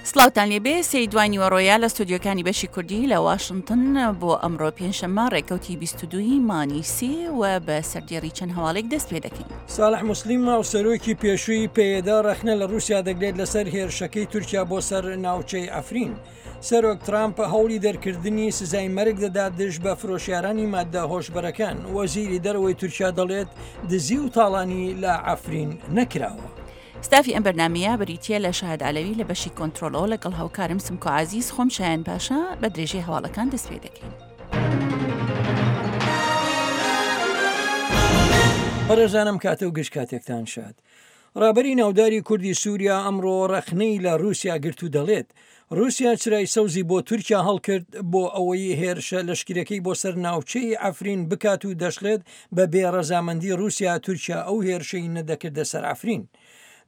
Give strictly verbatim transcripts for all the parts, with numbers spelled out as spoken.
سڵاوتان لێبێ سێی دوای نیوەڕۆیە لە ستۆدیۆکانی بەشی کوردی لە واشنتن بۆ ئەمڕۆ پێنجشەممە ڕێکەوتی بیست و دووی مانگی سێ و بە سەردێڕی چەند هەواڵێک دەست پێ دەکەین. ساڵح موسلیم هاوسەرۆکی پێشووی پەیەدە ڕەخنە لە ڕووسیا دەگرێت لەسەر هێرشەکەی تورکیا بۆ سەر ناوچەی عەفرین. سەرۆک ترامپ هەوڵی دەرکردنی سزای مەرگ دەدات دژ بە فرۆشیارانی مادە هۆشبەرەکان. وەزیری دەرەوەی تورکیا دەڵێت دزی و تاڵانی لە عەفرین نەکراوە. ستافی ئەم بەرنمەیە بریتییە لە شاهد عەلەوی لە بەشی کۆنترۆڵەوە لەگەڵ هاوکارم سمکۆ عەزیز، خۆم شایان پاشا بە درێژەی هەواڵەکان دەست پێ دەکەین. بەڕێزانم کاتە و گشت کاتێکتان شاد. ڕابەری ناوداری کوردی سووریا ئەمڕۆ ڕەخنەی لە رووسیا گرت و دەڵێت رووسیا چرای سەوزی بۆ تورکیا هەڵکرد بۆ ئەوەی هێرشە لەشکرەکەی بۆ سەر ناوچەی عەفرین بکات و دەشڵێت بە بێڕەزامەندی رووسیا تورکیا ئەو هێرشەی نەدەکردە سەر عەفرین.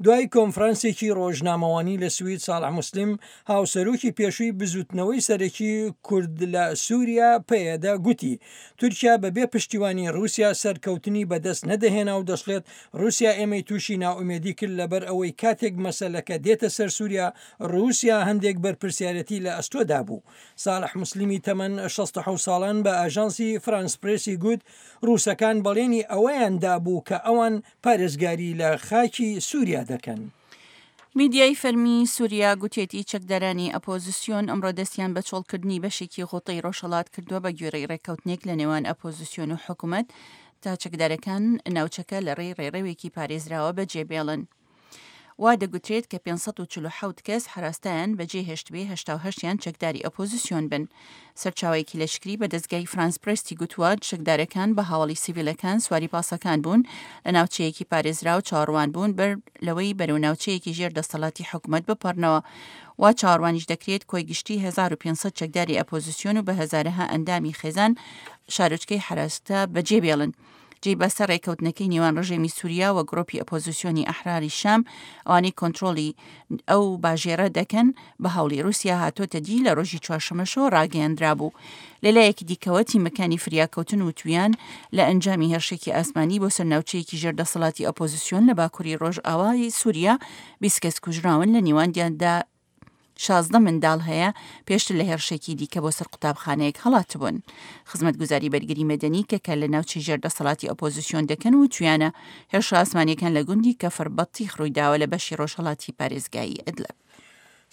دوای کۆنفرانسێکی ڕۆژنامەوانی لە سوید ساڵح موسلیم هاوسەرۆکی پێشووی بزوتنەوەی سەرەکی کورد لە سووریا پەیەدە گوتی تورکیا بەبێ پشتیوانی رووسیا سەرکەوتنی بەدەست نەدەهێنا و دەشڵێت رووسیا ئێمەی تووشی ناومێدی کرد لەبەر ئەوەی کاتێک مەسەلەکە دێتە سەر سووریا رووسیا هەندێک بەرپرسیارەتی لە ئەستۆدا بوو. ساڵح موسلیمی تەمەن شەست و حەوت ساڵان بە ئاژانسی فرانس پرێسی گوت رووسەکان بەڵێنی ئەوەیان دابوو کە ئەوان پارێزگاری لە خاکی سووریا دەکەن. میدیای فەرمی سووریا گوتێتی چەکدارانی ئەپۆزیسیۆن ئەمڕۆ دەستیان بە چۆڵکردنی بەشێکی غوتەی ڕۆژهەڵات کردووە بە گوێرەی ڕێککەوتنێک لە نێوان ئەپۆزیسیۆن و حکوومەت تا چەکدارەکان ناوچەکە لە ڕێی ڕێڕەوێکی پارێزراوە بەجێبێڵن. وا دەگوترێت کە پێنج سەد و چل و حەوت کەس حراستایان بەجێ هێشتبێ هەشتا و هەشتیان چەکداری ئۆپۆزیسیۆن بن. سەرچاوەیەکی لەشکری بە دەستگای فرانس پرێستی گوتووە چەکدارەکان بە هاوڵی سیڤیلەکان سواری پاسەکان بوون لە ناوچەیەکی پارێزراو چاوەڕوان بوون بەر لەوەی بەرەو ناوچەیەکی ژێر دەسەڵاتی حکوومەت بپەڕنەوە. وا چاوەڕوانیش دەکرێت کۆی گشتی هەزار و پێنج سەد چەکداری ئەپۆزیسیۆن و بە هەزارەها ئەندامی خێزان شارۆچکەی حراستا بەجێ بێڵن. جێی باسە ڕێککەوتنەکەی نێوان ڕژێمی سووریا و گرۆپی ئۆپۆزیسیۆنی ئەحراری شام ئەوانەی کۆنترۆڵی ئەو باژێرە دەکەن بە هەوڵی رووسیا هاتۆتە دی لە ڕۆژی چوارشەممەشەوە ڕاگەیەندرا بوو. لەلایەکی دیکەوە تیمەکانی فریاکەوتن و تویان لە ئەنجامی هێرشێکی ئاسمانی بۆ سەر ناوچەیەکی ژێر دەسەڵاتی ئۆپۆزیسیۆن لە باکووری ڕۆژئاوای سووریا بیست کەس کوژراون، لە نێواندیاندا شازدە منداڵ هەیە پێشتر لە هێرشێکی دیکە بۆ سەر قوتابخانەیەک هەڵاتبوون. خزمەتگوزاری بەرگری مەدەنی کە کە لە ناوچەی ژێر دەسەڵاتی ئۆپۆزیسیۆن دەکەن و تویانە هێرشە ئاسمانیەکان لە گوندی کەفر بەتیخ ڕوویداوە لە بەشی ڕۆژهەڵاتی پارێزگای ئەدلب.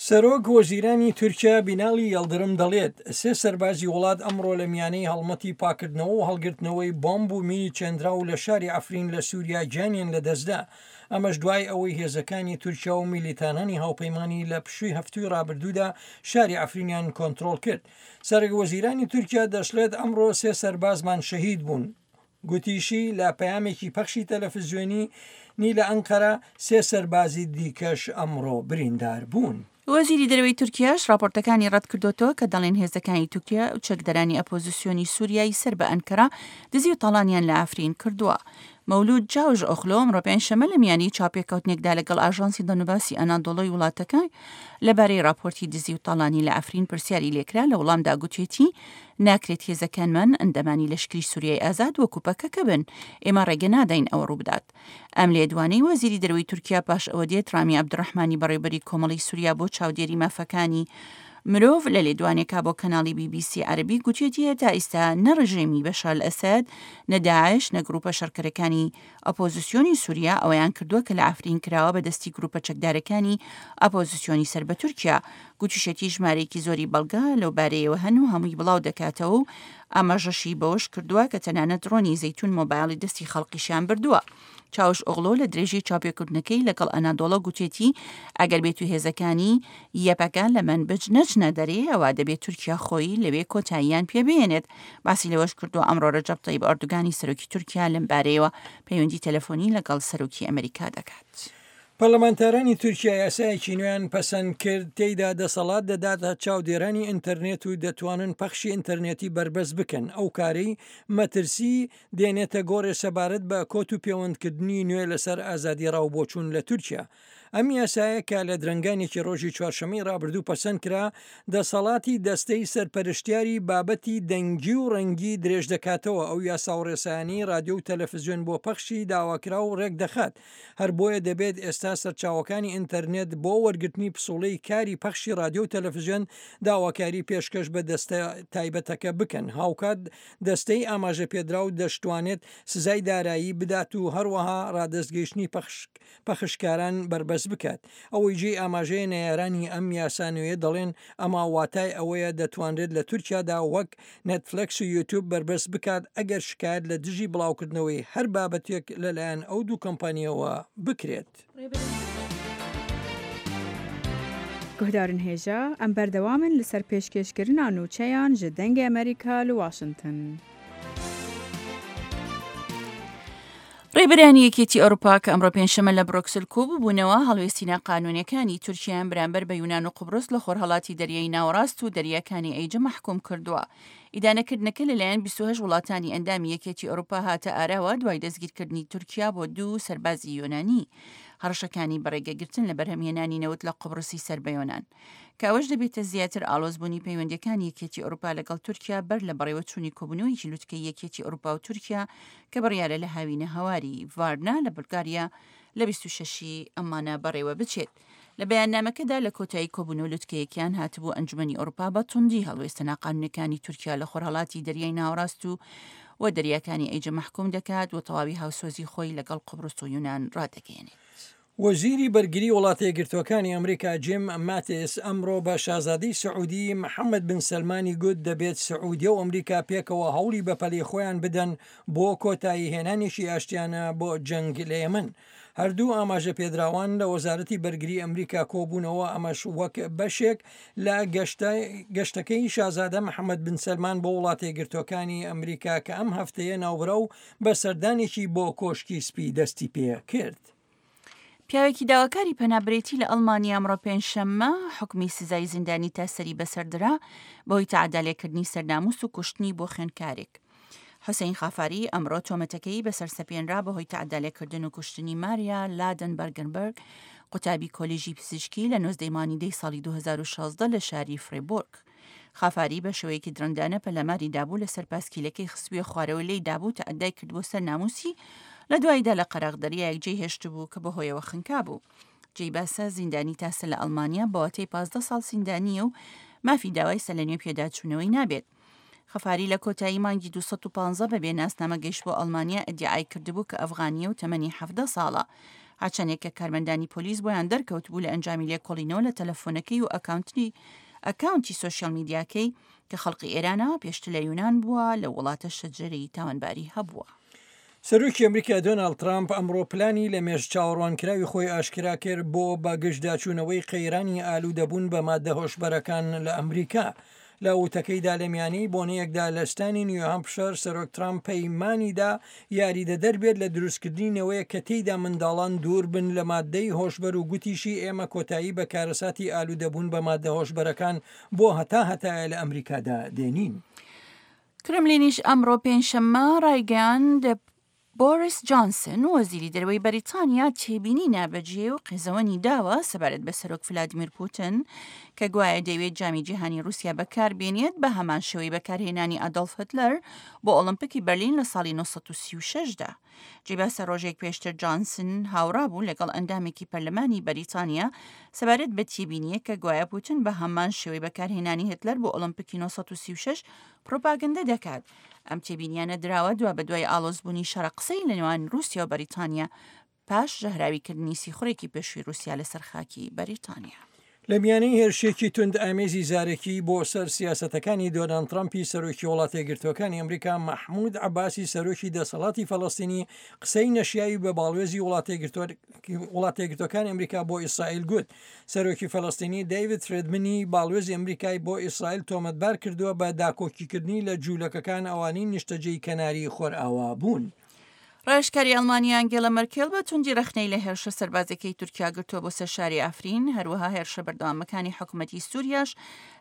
سەرۆک وەزیرانی تورکیا بینالی یەڵدرم دەڵێت سێ سەربازی وڵات ئەمڕۆ لە میانەی هەڵمەتی پاکردنەوە و هەڵگرتنەوەی بۆمب و مینی چێندراو لە شاری عەفرین لە سووریا گیانیان لەدەستدا. ئەمەش دوای ئەوەی هێزەکانی تورکیا و میلیتانانی هاوپەیمانی لە پشووی هەفتوی ڕابردوودا شاری عەفرینیان کۆنترۆڵ کرد. سەرۆک وەزیرانی تورکیا دەشڵێت ئەمڕۆ سێ سەربازمان شەهید بوون. گوتیشی لە پەیامێکی پەخشی تەلەفزیۆنی نی لە ئەنقەرە سێ سەربازی دیکەش ئەمڕۆ بریندار بوون. وەزیری دەرەوەی تورکیاش راپۆرتەکانی ڕەت کردوتەوە کە دەڵێن هێزەکانی تورکیا و چەکدارانی ئەپۆزیسیۆنی سووریای سەر بە ئەنکەرە دزی و تاڵانیان لە عەفرین کردووە. مەولود جاوش ئۆخلۆ ئەمڕۆ پێنجشەممە لە میانی چاوپێکەوتنێکدا لەگەڵ ئاژانسی دەنوباسی ئەنادۆڵۆی وڵاتەکە لەبارەی راپۆرتی دزی و تاڵانی لە عەفرین پرسیاری لێکرا. لە وەڵامدا گوتێتی ناکرێت هێزەکانمان ئەندامانی لەشکری سووریای ئازاد وەکو پەکەکە بن، ئێمە ڕێگە نادەین ئەوە ڕووبدات. ئەم لێدوانەی وەزیری دەرەوەی تورکیا پاش ئەوە دێت ڕامی عەبدولڕەحمانی بەڕێوەبەری کۆمەڵی سووریا بۆ چاودێری مافەکانی مرۆڤ لە لێدوانێکا بۆ کەناڵی بی بی سی عەرەبی گوتێتی تا ئێستا نە ڕژێمی بەشار ئەسەد نە داعش نە گروپە شەڕکەرەکانی ئۆپۆزیسیۆنی سووریا ئەوەیان کردووە کە لە عەفرین کراوە بە دەستی گروپە چەکدارەکانی ئۆپۆزیسیۆنی سەر بە تورکیا. گوتیشێتی ژمارەیەکی زۆری بەڵگە لەو بارەیەوە هەن و هەمووی بڵاو دەکاتەوە و ئاماژەشی بەوەش کردووە کە تەنانەت ڕۆنی زەیتون مۆبایلی دەستی خەڵقیشیان بردووە. چاوش ئۆغلۆ لە درێژەی چاوپێکردنەکەی لەگەڵ ئەنادۆڵە گوتێتی ئەگەر بێت و هێزەکانی یەپەکە لە مەنبج نەچنە دەرێ ئەوە دەبێت تورکیا خۆی لەوێ کۆتاییان پێبێنێت. باسی لەوەش کردووە ئەمڕۆ ڕەجەب تەیب ئەردۆگانی سەرۆکی تورکیا لەم بارەیەوە پەیوەندی تەلەفۆنی لەگەڵ سەرۆکی ئەمریکا دەکات. پەرلەمانتارانی تورکیا یاسایەکی نوێیان پەسەند کرد تێیدا دەسەڵات دەداتە چاودێرانی ئینتەرنێت و دەتوانن پەخشی ئینتەرنێتی بەربەست بکەن. ئەو کارەی مەترسی دێنێتە گۆڕێ سەبارەت بە کۆت و پەیوەندکردنی نوێ لەسەر ئازادی ڕاوبۆچوون لە تورکیا. ئەم یاسایە کە لە درەنگانێکی ڕۆژی چوارشەممەی ڕابردوو پەسەند کرا، دەسەڵاتی دەستەی سەرپەرشتیاری بابەتی دەنگی و ڕەنگی درێژ دەکاتەوە. ئەو یاسا و ڕێسایانەی رادیۆ و تەلەفزیۆن بۆ پەخشی داواکراو ڕێک دەخات. هەر بۆیە دەبێت ئێستا تا سەرچاوەکانی ئینتەرنێت بۆ وەرگرتنی پسوڵەی کاری پەخشی ڕادیۆ و تەلەفزیۆن داواکاری پێشکەش بە دەستە تایبەتەکە بکەن. هاوکات دەستەی ئاماژەپێدراو دەشتوانێت سزای دارایی بدات و هەروەها ڕادەستگەیشتنی پەخشکاران بەربەست بکات. ئەوەی جێی ئاماژەیە نەیارانی ئەم یاسا نوێیە دەڵێن ئەمە واتای ئەوەیە دەتوانرێت لە تورکیادا وەک نێتفلێکس و یوتیوب بەربەست بکات ئەگەر شکایەت لە دژی بڵاوکردنەوەی هەر بابەتێک لەلایەن ئەو دوو کۆمپانیەوە بکرێت. Guhdarên hêja em berdewam in li ser pêşkêşkirina nûçeyan ji Dengê Amerîka li Washington. ڕێبەرانی یەکێتی ئەوروپا کە ئەمڕۆ پێنجشەممە لە برۆکسل کۆبوونەوە هەڵوێستی ناقانوونیەکانی تورکیایان بەرامبەر بە یونان و قوبرس لە خۆرهەڵاتی دەریای ناوەڕاست و دەریاکانی ئەیجە مەحکوم کردووە. ئیدانەکردنەکە لەلایەن بیست و هەشت وڵاتانی ئەندامی یەکێتی ئەوروپا هاتە ئاراوە دوای دەستگیرکردنی تورکیا بۆ دوو سەربازی یۆنانی، هەڕەشەکانی بەڕێگەگرتن لە بەرهەمهێنانی نەوت لە قوبرسی سەر بە یۆنان، کە ئەوەش دەبێتە زیاتر ئالۆزبوونی پەیوەندیەکانی یەکێتی ئەوروپا لەگەڵ تورکیا بەر لە بەڕێوەچوونی کۆبوونەوەیەکی لوتکەی یەکێتی ئەوروپا و تورکیا کە بڕیارە لە هاوینە هەواری ڤارنا لە بولگاریا لە بیست و شەشی ئەمانە بەڕێوە بچێت. لە بەیاننامەکەدا لە کۆتایی کۆبوونەوە لوتکەیەکیان هاتبوو ئەنجومەنی ئەوروپا بە توندی هەڵوێستە ناقانوونەکانی تورکیا لە خۆرهەڵاتی دەریای ناوەڕاست و و دەریاکانی ئەیجە مەحکوم دەکات و تەواوی هاوسۆزی خۆی لەگەڵ قوبرس و یونان ڕادەگەیەنێت. وەزیری بەرگری وڵاتە یەکگرتووەکانی ئەمریکا جیم ماتیس ئەمڕۆ بە شازادەی سعودی محەممەد بن سەلمانی گوت دەبێت سعودیە و ئەمریکا پێکەوە هەوڵی بەپەلەی خۆیان بدەن بۆ کۆتایی هێنانێکی ئاشتیانە بۆ جەنگ لە یەمەن. هەردوو ئاماژە پێدراوان لە وەزارەتی بەرگری ئەمریکا کۆبوونەوە، ئەمەش وەک بەشێک لە گەشتەکەی شازادە محەممەد بن سەلمان بۆ وڵاتە یەکگرتووەکانی ئەمریکا کە ئەم هەفتەیە ناوبراو بە سەردانێکی بۆ کۆشکی سپی دەستی پێ کرد. پیاوێکی داواکاری پەنابرێتی لە ئەڵمانیا ئەمڕۆ پێنجشەممە حکمی سزای زیندانی تا سەری بەسەردرا بەهۆی تەعەدالێکردنی سەرناموس و کوشتنی بۆ خوێندکارێک. حوسەین خافاری ئەمڕۆ تۆمەتەکەی بەسەر سەپێنرا بەهۆی تەعەدالێکردن و کوشتنی ماریا لادن بەرگنبەرگ، قوتابی کۆلێژی پزیشکی لە نۆزدەی مانگی دەی ساڵی دوو هەزار و شازدە لە شاری فریبۆرگ. خافاری بە شێوەیەکی درەندانە پەلاماری دابوو لەسەر پاسکیلەکەی خستبووە خوارەوە لێی دابوو تەعەدای کردبوو سەر ناموسی، لە دواییدا لە قەراغ دەریایەک جێی هێشتبوو کە بەهۆیەوە خنکا بوو. جێی باسە زیندانی تاسە لە ئەڵمانیا بەواتەی پازدە ساڵ زیندانیە و مافی داوای سەلەنوێ پێداچوونەوەی نابێت. خەفاری لە کۆتایی مانگی دوو سەد و پازدە بەبێ ناسنامە گەیشت بۆ ئەڵمانیا ئیدیعای کردبوو کە ئەفغانیە و تەمەنی حەفدە ساڵە. هەرچەندێک کە کارمەندانی پۆلیس بۆیان دەرکەوتبوو لە ئەنجامی لێکۆڵینەوە لە تەلەفۆنەکەی و ئەکاونتی ئەکاونتی سۆشیال میدیاکەی کە خەڵقی ئێرانە پێشتر لە یونان بووە لە وڵاتە شەجەرەی تاوانباری هەبووە. سەرۆکی ئەمریکا دۆناڵد ترامپ ئەمڕۆ پلانی لە مێژ چاوەڕوانکراوی خۆی ئاشکرا کرد بۆ بەگشتداچوونەوەی قەیرانی ئالوودەبوون بە مادە هۆشبەرەکان لە ئەمریکا. لە وتەکەیدا لە میانەی بۆنەیەکدا لە ستانی نیوهامپشەر سەرۆک ترامپ پەیمانیدا یاریدەدەر بێت لە دروستکردنی نەوەیە کە تێیدا منداڵان دوور بن لە مادەی هۆشبەر و گوتیشی ئێمە کۆتایی بە کارەساتی ئالوودەبوون بە مادە هۆشبەرەکان بۆ هەتا هەتایە لە ئەمریکادا دێنین. کرملینیش ئەمڕۆ پێنجشەممە ڕایگەیاند بۆریس جانسن وەزیری دەرەوەی بەریتانیا تێبینی نابەجێ و قێزەوەنی داوە سەبارەت بە سەرۆک ڤلادیمیر پوتن کە گوایە دەیەوێت جامی جیهانی رووسیا بەکاربێنێت بە هەمان شێوەی بەکارهێنانی ئادۆلف هیتلەر بۆ ئۆڵمپیکی بەرلین لە ساڵی نۆ سەد و سی و شەش دا. جێی باسە ڕۆژێک پێشتر جانسن هاوڕا بوو لەگەڵ ئەندامێکی پەرلەمانی بەریتانیا سەبارەت بە تێبینیە کە گوایە پوتن بە هەمان شێوەی بەکارهێنانی هیتلەر بۆ ئۆڵمپیکی نۆ سەد و سی و شەش پروپاگەندە دەکات. ئەم تێبینیانە دراوە دوا بە دوای ئالۆزبوونی شەڕە قسەی لە نێوان رووسیا و بەریتانیا پاش ژەهراویکردنی سیخوڕێکی پێشووی رووسیا لەسەر خاکی بەریتانیا. لە میانەی هێرشێکی توند ئامێزی زارەکی بۆ سەر سیاسەتەکانی دۆناڵد ترامپی سەرۆکی وڵاتە یەکگرتووەکانی ئەمریکا، مەحمود عەباسی سەرۆکی دەسەڵاتی فەلەستینی قسەی نەشیاوی بە باڵوێزی وڵاتە یەکگرتووەکانی ئەمریکا بۆ ئیسرائیل گوت. سەرۆکی فەلەستینی دەیڤید فرێدمنی باڵوێزی ئەمریکای بۆ ئیسرائیل تۆمەتبار کردووە بە داکۆکیکردنی لە جوولەکەکان ئەوانەی نیشتەجێی کەناری خۆرئاوا بوون. ڕاوێژکاری ئەڵمانیا ئەنگێلا مەرکێل بە توندی ڕەخنەی لە هێرشە سەربازەکەی تورکیا گرتووە بۆ سەر شاری ئافرین، هەروەها هێرشە بەردەوامەکانی حکوومەتی سووریاش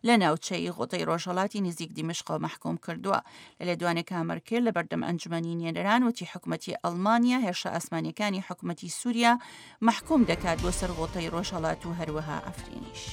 لە ناوچەی غوتەی ڕۆژهەڵاتی نزیک دیمەشقەوە مەحکوم کردووە. لە لێدوانێکا مەرکێل لە بەردەم ئەنجومەنی نوێنەران وتی حکوومەتی ئەڵمانیا هێرشە ئاسمانیەکانی حکوومەتی سووریا مەحکوم دەکات بۆ سەر غوتەی ڕۆژهەڵات و هەروەها ئافرینیش.